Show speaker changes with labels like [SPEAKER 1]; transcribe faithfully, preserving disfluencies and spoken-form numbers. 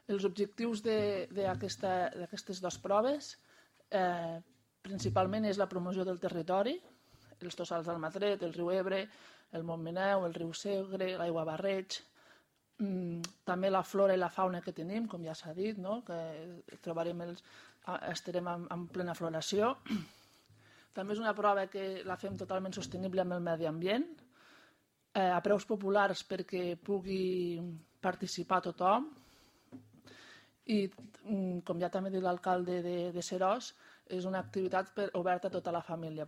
[SPEAKER 1] Els objectius d'aquestes dues proves eh, principalment és la promoció del territori, els tossals d'Almatret, el riu Ebre, el Montmeneu, el riu Segre, l'aigua Barreig, mm, també la flora i la fauna que tenim, com ja s'ha dit, no? Que trobarem els, estarem en, en plena floració. També és una prova que la fem totalment sostenible amb el medi ambient, eh, a preus populars perquè pugui participar tothom, i com ja també ha dit l'alcalde de, de Seròs, és una activitat per, oberta a tota la família.